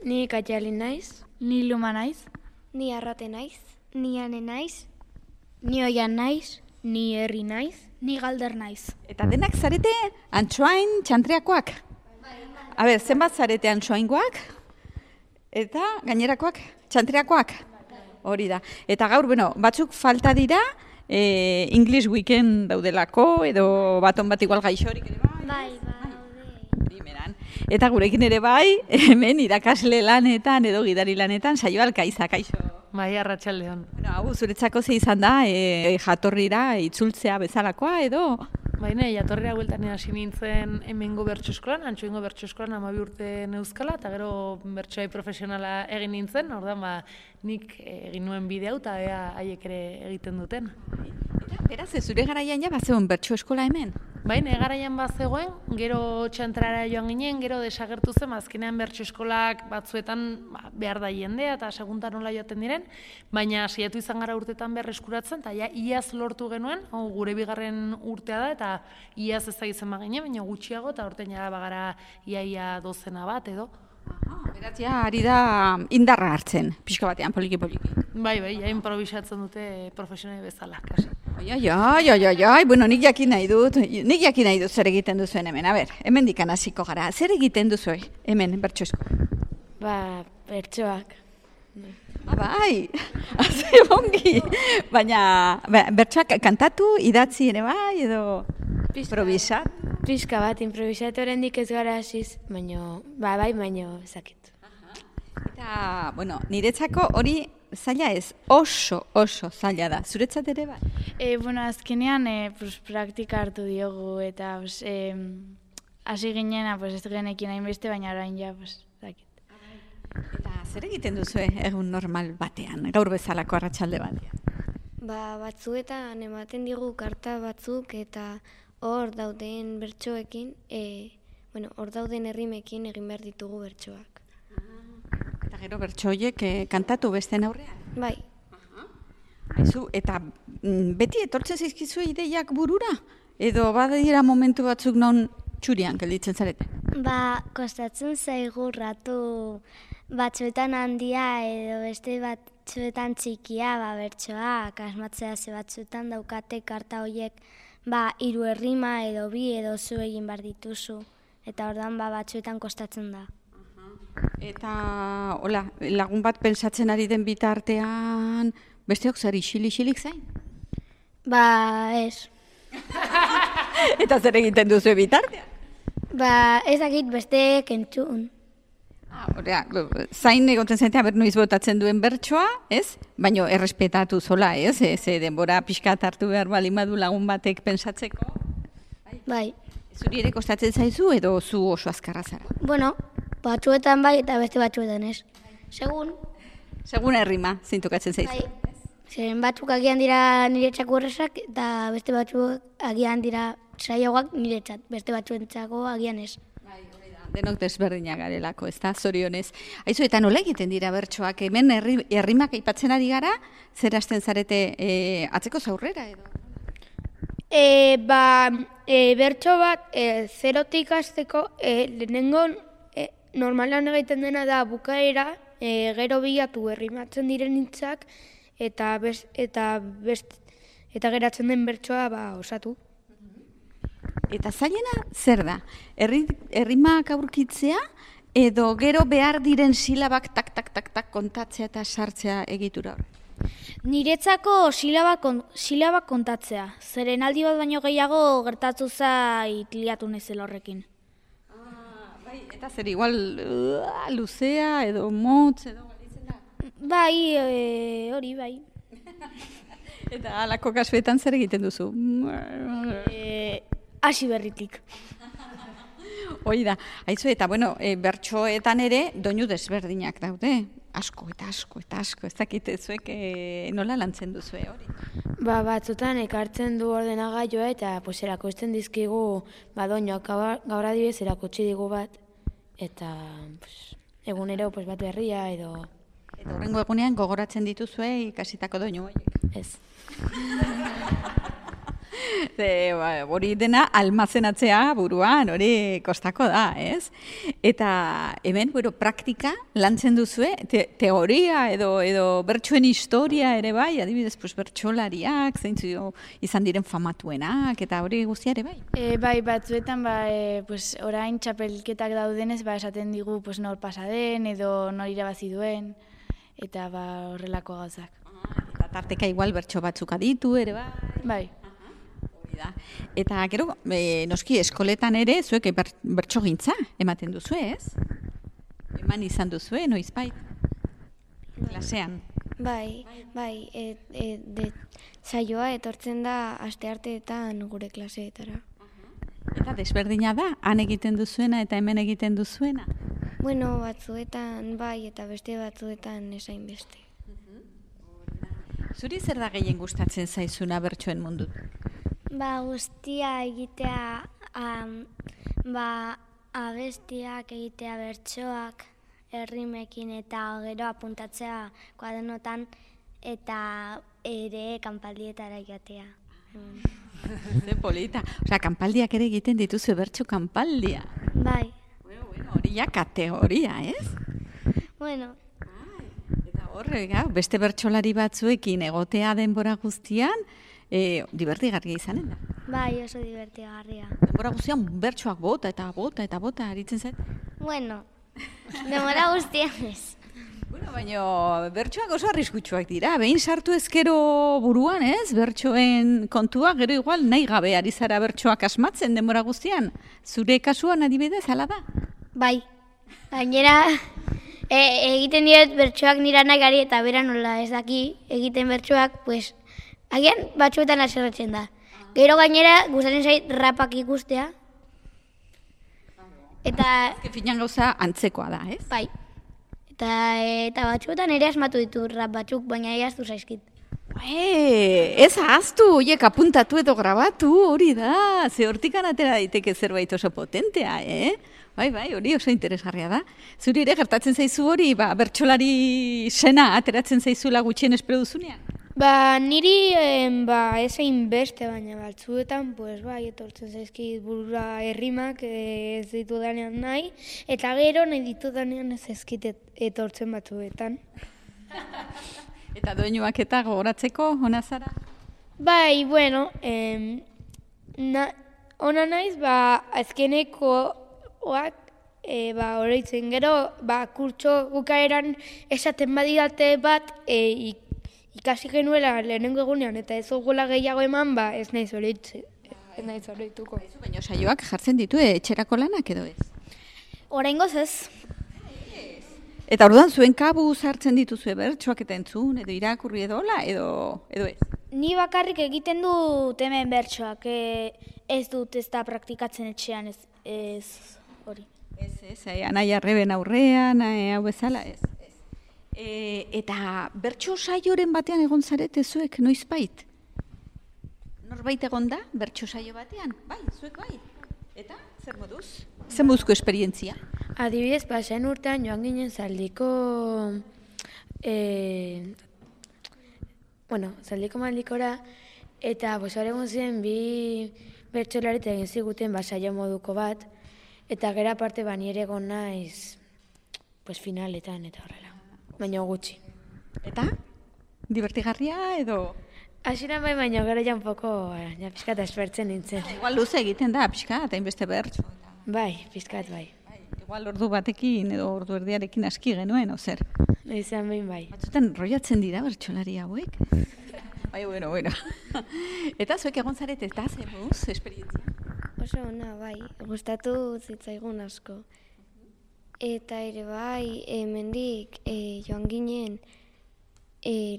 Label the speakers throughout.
Speaker 1: Ni Katiali naiz.
Speaker 2: Ni Luma naiz.
Speaker 3: Ni Arrate naiz.
Speaker 4: Ni Ane naiz.
Speaker 1: Ni Oian naiz. Ni Herri naiz.
Speaker 2: Ni Galder naiz.
Speaker 5: Eta denak zarete antxoain txantreakoak. A ber, zenbat zarete antxoaingoak? Eta gainerakoak txantreakoak? Hori da. Eta gaur, batzuk falta dira, English Weekend daudelako, edo baton bat igual gaixorik ere bai. Primeran. Eta gurekin ere bai, hemen irakasle lanetan edo gidari lanetan, Saio Alkaiza, kaixo.
Speaker 6: Bai, arratsaldeon.
Speaker 5: Hau, zuretzako ze izan da, jatorrira itzultzea bezalakoa edo?
Speaker 6: Baina, jatorrira bueltan hasi nintzen hemengo bertso eskolan, Antxoaingo bertso eskolan 12 urte neuzkala, eta gero bertsoai profesionala egin nintzen, orduan nik egin nuen bide hau, eta haiek ere egiten duten.
Speaker 5: Beraz, zure garaian ja bazegoen bertso eskola hemen?
Speaker 6: Baina, garaian bazegoen, gero txantrara joan ginen, gero desagertu zen, azkenean bertso eskolak batzuetan behar da jendea, eta seguntan nola joaten diren, baina saiatu izan gara urtetan berreskuratzen, eta iaz lortu genuen, gure bigarren urtea da, eta iaz ez da izan bagine, baina gutxiago, eta urtean jara bagara iaia dozena bat edo.
Speaker 5: Beraz, ari da indarra hartzen, pixka batean, poliki-poliki.
Speaker 6: Bai, improvisatzen dute profesionai bezala, kasi.
Speaker 5: Bueno, nik jakin nahi dut zer egiten duzuen hemen. A ber, hemen dikan hasiko gara. Zer egiten duzu hemen bertso eskola?
Speaker 1: Bertsoak.
Speaker 5: Bai, haze ongi. Baina, bertsoak kantatu, idatzi ere bai, edo improvisat?
Speaker 1: Pixka bat, improvisatu oraindik ez gara hasiz, baina ezakit.
Speaker 5: Eta, niretzako hori zaila ez, oso zaila da. Zuretzat ere bai?
Speaker 2: Azkenean praktika hartu diogu eta hasi ginena ez genekin hainbeste, baina orain ja, zakit.
Speaker 5: Eta zer egiten duzu egun normal batean, gaur bezalako arratsalde batean?
Speaker 3: Batzuetan ematen digu karta batzuk eta hor dauden bertsoekin, hor dauden errimekin egin behar ditugu bertsoak.
Speaker 5: Eta gero bertso horiek kantatu besteen aurrean?
Speaker 3: Bai.
Speaker 5: Aizu, eta beti etortzen zaizkizu ideiak burura? Edo badira momentu batzuk non txurian gelditzen zarete?
Speaker 4: Kostatzen zaigu ratu batzuetan handia edo beste batzuetan txikia bertsoak asmatzea ze batzuetan daukate karta horiek 3 errima edo 2 edo zu egin behar dituzu. Eta ordan batzuetan kostatzen da.
Speaker 5: Eta, lagun bat pentsatzen ari den bitartean, besteok zer isilik zain?
Speaker 4: Ez.
Speaker 5: Eta zer egiten duzu bitartean?
Speaker 4: Ezakit beste kentzun.
Speaker 5: Zain egoten zaintea, noiz botatzen duen bertsoa, ez? Baina errespetatu zola, ez? Denbora pixkat hartu behar baldin badu lagun batek pentsatzeko?
Speaker 4: Bai.
Speaker 5: Zuri ere kostatzen zaizu edo zu oso azkarra zara?
Speaker 4: Batzuetan bai eta beste batzuetan ez.
Speaker 5: Segun errima, zintukatzen zaizu.
Speaker 4: Bai. Zeren batzuk agian dira niretzako errezak eta beste batzuk agian dira zailagoak niretzat, beste batzuentzako agian ez.
Speaker 5: Bai, hori da. Denok desberdinak garelako, ez da, zorionez. Aizu, eta nola egiten dira bertsoak? Hemen errimak aipatzen ari gara, zer hasten zarete atzeko zaurrera edo?
Speaker 1: Bertso bat zerotik hasteko lehenengo normalan egiten dena da bukaera, gero bilatu errimatzen diren hitzak eta geratzen den bertsoa osatu.
Speaker 5: Eta zailena zer da? Errimak aurkitzea edo gero behar diren silabak tak kontatzea eta sartzea egitura hori?
Speaker 2: Niretzako silabak kontatzea. Zeren aldi bat baino gehiago gertatu zait liatu nezel horrekin.
Speaker 5: Bai, eta zer igual luzea edo motz edo galitzen da?
Speaker 2: Bai, hori bai.
Speaker 5: Eta alako kasuetan zer egiten duzu?
Speaker 2: Hasi berritik.
Speaker 5: Hoi da. Aizu, eta bertsoetan ere doinu desberdinak daude. Asko, ez dakite zuek nola lantzen duzue hori?
Speaker 1: Batzutan ekartzen du ordenagailua eta erakusten dizkigu doinuak gaur adibidez erakutsi digu bat eta egunero bat berria edo...
Speaker 5: Eta horrengo egunean gogoratzen dituzue ikasitako doinu horiek?
Speaker 1: Ez.
Speaker 5: Hori dena almazenatzea buruan, hori kostako da, ez? Eta hemen, praktika lantzen duzue, teoria edo bertsoen historia ere bai, adibidez, bertsolariak, zeintzu izan diren famatuenak, eta hori guztia ere bai?
Speaker 2: Bai, batzuetan, orain txapelketak daudenez, esaten digu nor pasaden edo nor irabazi duen, eta horrelako gauzak.
Speaker 5: Eta tarteka igual bertso batzuk aditu ere bai?
Speaker 2: Bai.
Speaker 5: Eta gero, noski eskoletan ere, zuek bertso gintza ematen duzu, ez? Eman izan duzue, noizbait? Klasean?
Speaker 3: Bai, saioa etortzen da astearteetan gure klaseetara.
Speaker 5: Eta desberdina da, han egiten duzuena eta hemen egiten duzuena?
Speaker 3: Bueno, batzuetan bai eta beste batzuetan esain beste.
Speaker 5: Zuri zer da gehien gustatzen zaizuna bertsoen mundu?
Speaker 4: Guztia egitea, abestiak egitea bertsoak, errimekin eta gero apuntatzea kuadernotan eta ere kanpaldietara joatea.
Speaker 5: Ze polita. Osea, kanpaldiak ere egiten dituzu bertso kanpaldia.
Speaker 4: Bai.
Speaker 5: Hori ja kategoria, ez?
Speaker 4: Bueno.
Speaker 5: Eta horre, beste bertsolari batzuekin egotea denbora guztian, divertigarria izanen da.
Speaker 4: Bai, oso divertigarria.
Speaker 5: Denbora guztian bertsoak bota eta bota eta bota aritzen zait?
Speaker 4: Bueno, denbora guztian ez.
Speaker 5: Baina bertsoak oso arriskutsuak dira. Behin sartu ezkero buruan, ez? Bertsoen kontua, gero igual nahi gabe ari zara bertsoak asmatzen denbora guztian. Zure kasuan adibidez, hala da?
Speaker 4: Bai. Gainera, egiten diret bertsoak nira nagari eta bera nola ez daki egiten bertsoak, pues, agian batzuetan aserretzen da. Gero gainera, gustatzen zait rapak ikustea. Eta...
Speaker 5: Finan gauza antzekoa da, ez?
Speaker 4: Bai. Eta batzuetan ere asmatu ditu rap batzuk, baina ahaztu zaizkit.
Speaker 5: Ez ahaztu, horiek apuntatu edo grabatu, hori da. Ze hortikan atera daiteke zerbait oso potentea, Bai, hori oso interesgarria da. Zuri ere gertatzen zaizu hori, bertsolari sena ateratzen zaizula gutxien espero duzunean?
Speaker 1: Niri ezein beste, baina batzuetan, etortzen zaizkit burura errimak ez ditudanean nahi, eta gero nahi ditudanean ez zaizkit etortzen batzuetan.
Speaker 5: Eta doinuak eta gogoratzeko, hona zara?
Speaker 1: Bai, bueno, ona naiz, azkenekoak, oroitzen gero, kurtso gukaeran esaten badidate bat, ikasi genuela lehenengo egunean eta ez ogula gehiago eman, ez naiz oroituko.
Speaker 5: Baina saioak jartzen ditu etxerako lanak edo ez?
Speaker 4: Oraingoz ez.
Speaker 5: Eta orduan zuen kabuz hartzen dituzue bertsoak eta entzun, edo irakurri edola, edo ez?
Speaker 4: Ni bakarrik egiten dut hemen bertsoak, ez dut ez da praktikatzen etxean ez hori.
Speaker 5: Ez, Anaia Arreben aurrean, hau bezala, ez. Eta bertso saioren batean egon zarete zuek, noizbait? Norbait egon da, bertso saio batean? Bai, zuek bai. Eta, zer moduz? Zer moduzko esperientzia?
Speaker 1: Adibidez, pasen urtean joan ginen Zaldiko... Zaldiko maldikora, eta hor egon ziren bi bertsolari egin ziguten saio moduko bat, eta gero aparte ni ere egon naiz finaletan eta horrela. Baina gutxi.
Speaker 5: Eta? Divertigarria edo?
Speaker 1: Hasieran bai, baina gero ja un poco, pixkat aspertzen nintzen.
Speaker 5: Igual luze egiten da, pixkat, hainbeste bertso.
Speaker 1: Bai, pixkat bai.
Speaker 5: Igual ordu batekin edo ordu erdiarekin aski genuen, ozer?
Speaker 1: Izan behin bai.
Speaker 5: Batzutan roiatzen dira bertsolari hauek? Bai, bueno. Eta zuek egon zarete, eta zemuz, esperientzia?
Speaker 3: Oso ona, bai, gustatu zitzaigun asko. Eta ere bai, hemendik joan ginen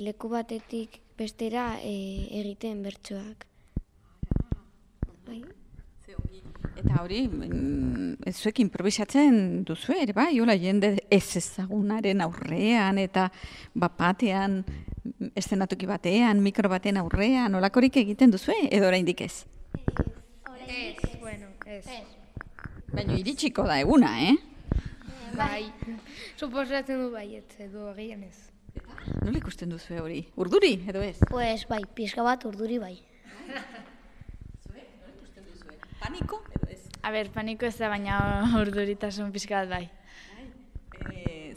Speaker 3: leku batetik bestera egiten bertsoak. Bai.
Speaker 5: Eta hori, zuek improvisatzen duzu ere bai, hola jende ez ezagunaren aurrean eta batean, eszenatoki batean, mikro baten aurrean, holakorik egiten duzu edo oraindik ez?
Speaker 1: Ez.
Speaker 5: Baina iritsiko da eguna,
Speaker 1: Bai, suposatzen du baietz edo agian ez.
Speaker 5: Nola ikusten duzu hori? Urduri edo ez?
Speaker 4: Pues bai, pixka bat urduri bai.
Speaker 5: Paniko edo ez?
Speaker 2: A ber, paniko ez da, baina urduritasun pixka bat bai.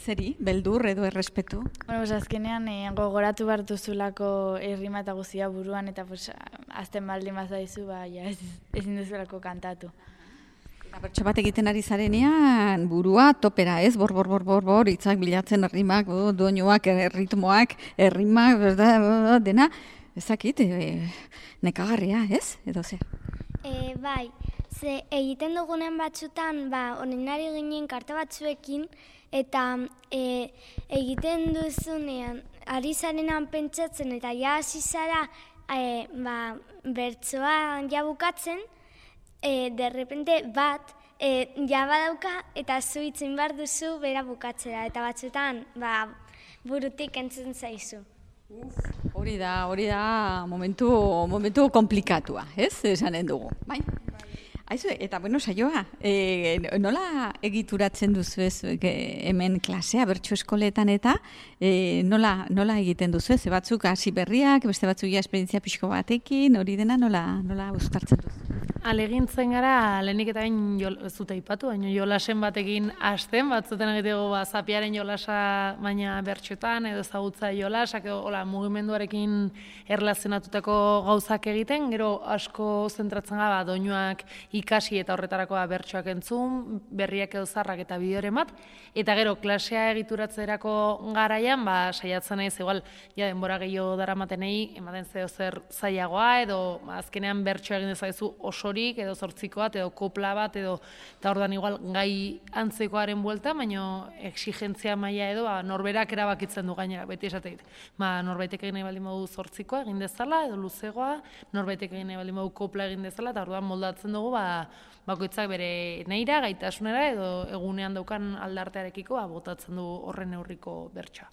Speaker 5: Zeri, beldur edo errespetu?
Speaker 2: Bueno, pues azkenean gogoratu behar duzulako errima eta guztia buruan, eta pues, azten baldin bazaizu, ba, ja, ezin duzulako kantatu.
Speaker 5: Eta bertso bat egiten ari zarenean, burua topera, ez? Bor, hitzak bilatzen errimak, doinuak, erritmoak, errimak, dena, ezakit, nekagarria, ez? Edo zer?
Speaker 4: Bai, ze egiten dugunen batzutan, oninari ginen karta batzuekin, eta egiten duzunean, ari zarenan pentsatzen, eta ja hasi zara bertsoa ja bukatzen, derrepente bat, ja badauka, eta zu itzin behar duzu bera bukatzera, eta batzutan burutik entzun zaizu.
Speaker 5: Hori da momentu komplikatua, ez? Esanen dugu, bai? Aizu, eta bueno, saioa, nola egituratzen duzu ez hemen klasea bertso eskoletan eta nola egiten duzu ez? Batzuk hasi berriak, beste batzuk ja esperientzia pixko batekin, hori dena nola uztartzen duzu?
Speaker 6: Alegintzen gara, lehenik eta bain ez dut aipatu, baina jolasen batekin hasten, batzutan egiteko zapiaren jolasa baina bertxotan, edo ezagutza jolasak, edo mugimenduarekin erlazionatutako gauzak egiten, gero asko zentratzen gara, doinuak ikasi eta horretarako bertsoak entzun, berriak edo zarrak eta bideoren bat, eta gero klasea egituratzerako garaian, saiatzen naiz, igual, denbora gehiago daramatenei, ematen zeo zer zailagoa, edo azkenean bertsoa egin dezaizu osorik, edo zortziko bat, edo kopla bat, edo, eta orduan igual gai antzekoaren buelta, baina exigentzia maila edo, norberak erabakitzen du gainera, beti esateit. Norbaitek egin nahi baldin badu zortzikoa egin dezala, edo luzegoa, norbaitek egin nahi baldin badu kopla egin dezala, eta orduan moldatzen dugu, bakoitzak bere neira, gaitasunera, edo egunean daukan aldartearekiko, botatzen du horren neurriko bertsoa.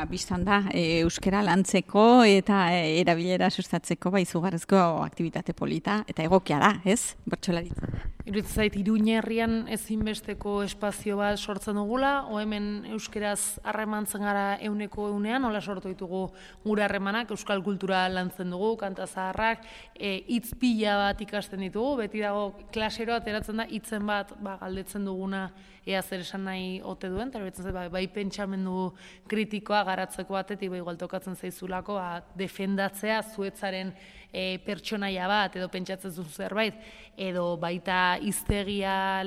Speaker 5: Bistan da, euskara lantzeko eta erabilera sustatzeko izugarrizko aktibitate polita, eta egokia da, ez? Bertsolaritza.
Speaker 6: Iruditzen zait, Iruña herrian ezinbesteko espazio bat sortzen dugula, hemen euskeraz harremantzen gara euneko eunean, nola sortu ditugu gure harremanak, euskal kultura lantzen dugu, kanta zaharrak, hitz pila bat ikasten ditugu, beti dago klasero ateratzen da, hitzen bat galdetzen duguna ea zer esan nahi ote duen, eta betzen zait, bai pentsamendu kritikoa garatzeko batetik, igual tokatzen zaizulako, defendatzea zuetzaren pertsonaia bat, edo pentsatzen duzu zerbait, edo baita hiztegia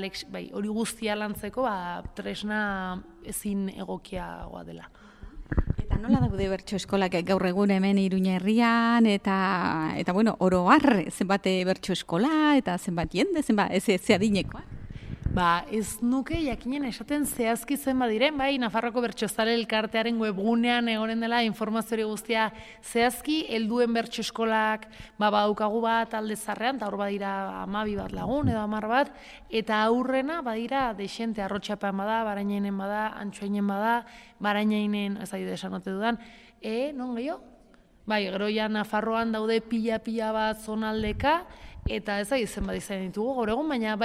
Speaker 6: hori guztia lantzeko, tresna ezin egokiagoa dela.
Speaker 5: Eta nola daude bertso eskolak gaur egun hemen Iruña herrian, eta bueno, oro har, zenbat bertso eskola, eta zenbat jende, zenbat, ez adinekoa?
Speaker 6: Ez nuke jakinen esaten zehazki zenbat diren, Nafarroko Bertsozale Elkartearen webgunean egonen dela informazio guztia zehazki, helduen bertso eskolak badaukagu bat alde zarrean, eta hor badira 12 bat lagun edo 10 bat, eta aurrena badira dexente, Arrotxapean bada, Barainainen bada, Antxoainen bada, Barainainen, ez ari desan ote dudan, non gehiago? Gero ja Nafarroan daude pila bat zonaldeka, eta ez zenbat izan ditugu gaur egun, baina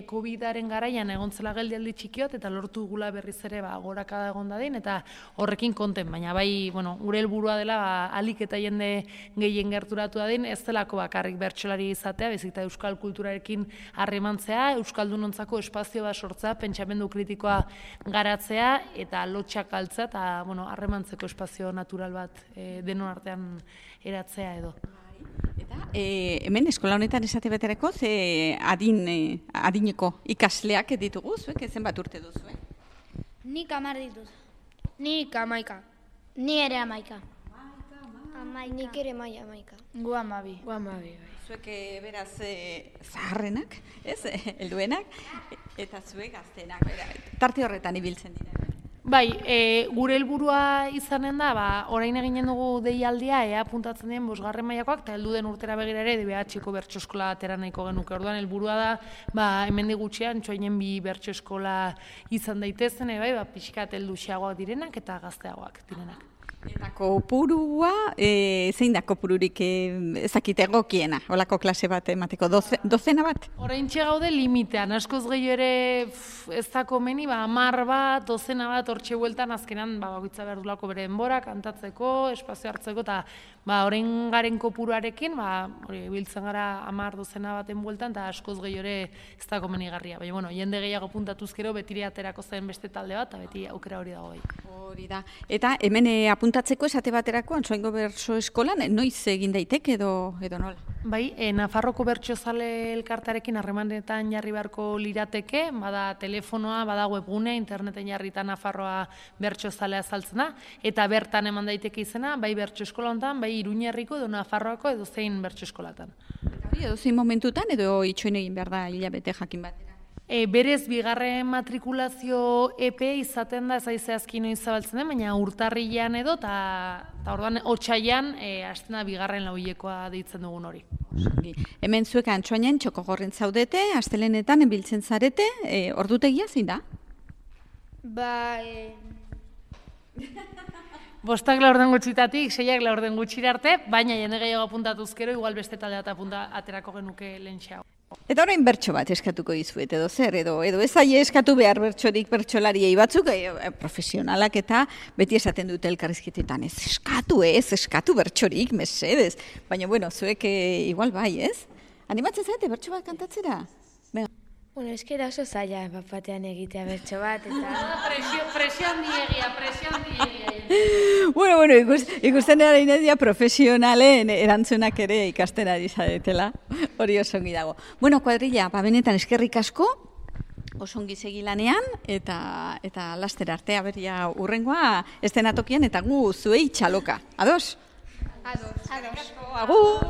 Speaker 6: COVID-aren garaian egontzela geldialdi txikiot, eta lortu gula berriz ere gorakada egon dadin, eta horrekin konten, baina gure helburua dela alik eta jende gehien gerturatu dadin, ez delako bakarrik bertsolari izatea, bezik eta euskal kulturarekin harremantzea, euskaldunontzako espazio bat sortzea, pentsamendu kritikoa garatzea, eta lotxak altzea, eta harremantzeko espazio natural bat denon artean eratzea edo.
Speaker 5: Eta hemen eskola honetan esate betereko adineko ikasleak ditugu, zuek zenbat urte duzu?
Speaker 7: Nik 10 ditut.
Speaker 3: Nik 11.
Speaker 7: Ni ere 11.
Speaker 3: Nik ere 11.
Speaker 2: Gu 12.
Speaker 5: Zuek beraz zaharrenak, ez, helduenak, eta zuek gaztenak, tarte horretan ibiltzen dira.
Speaker 6: Gure helburua izanen da, orain eginen dugu deialdia, ea puntatzen dien 5. mailakoak, eta heldu den urtera begira ere DBH-ko bertso eskola atera nahiko genuke. Orduan helburua da, hemendik gutxian, Antxoainen 2 bertso eskola izan daitezen, pixkat heldu xeagoak direnak eta gazteagoak direnak.
Speaker 5: Eta kopurua, zein da kopururik ezakit egokiena, holako klase bat emateko, dozena bat?
Speaker 6: Oraintxe gaude limitean, askoz gehiago ere ez da komeni, 10 bat, dozena bat, hortxe bueltan azkenan bakoitza behar dulako bere denbora, kantatzeko, espazio hartzeko, eta orain garen kopuruarekin, biltzen gara 10 dozena baten bueltan, eta askoz gehiago ere ez da komenigarria. Baina, bueno, jende gehiago puntatuzkero, betire aterako zen beste talde bat, eta beti aukera hori dago bai.
Speaker 5: Hori da. Eta hemen apuntatzeko esate baterako Antsoaingo Bertso Eskolan noiz egin daiteke edo nola?
Speaker 6: Bai, Nafarroko Bertsozale elkartarekin harremanetan jarri beharko lirateke, bada telefonoa, bada webgune, interneten jarrita Nafarroa Bertsozalea azaltzen da, eta bertan eman daiteke izena, bai Bertso Eskola honetan, bai Iruñerriko edo Nafarroako edo zein Bertso Eskolatan.
Speaker 5: Edo zein momentutan edo itxoin egin behar da hilabete jakin batera?
Speaker 6: Berez, bigarren matrikulazio EPE izaten da, ez zehazki noiz zabaltzen den, baina urtarrilean edo, eta orduan otsailean hasten da bigarren lauhilekoa deitzen dugun hori.
Speaker 5: Hemen zuek Antsoainen Txokogorren zaudete, astelenetan biltzen zarete, ordutegia zein da?
Speaker 6: Bostak laurden gutxitatik, 6ak laurden gutxira arte, baina jende gehiago apuntatuzkero, igual beste talde bat aterako genuke lehentxeago.
Speaker 5: Eta orain bertso bat eskatuko dizuet, edo zer, edo ez zaie eskatu behar bertsorik bertsolariei batzuk, profesionalak eta beti esaten dute elkarrizketetan, ez eskatu bertsorik, mesedez. Baina, bueno, zuek igual bai, ez? Animatzen zaite bertso bat kantatzera?
Speaker 1: Bueno, eskera oso zaila batean egitea bertso bat, eta...
Speaker 6: Presio handiegia.
Speaker 5: Bueno, ikusten erain edia profesionalen erantzunak ere ikasten ari zaretela, hori oso ongi dago. Bueno, kuadrilla, benetan eskerrik asko, oso ongi segi lanean, eta laster artea beria urrengoa estenatokian, eta gu zuei txaloka. Ados? Ados. Agur.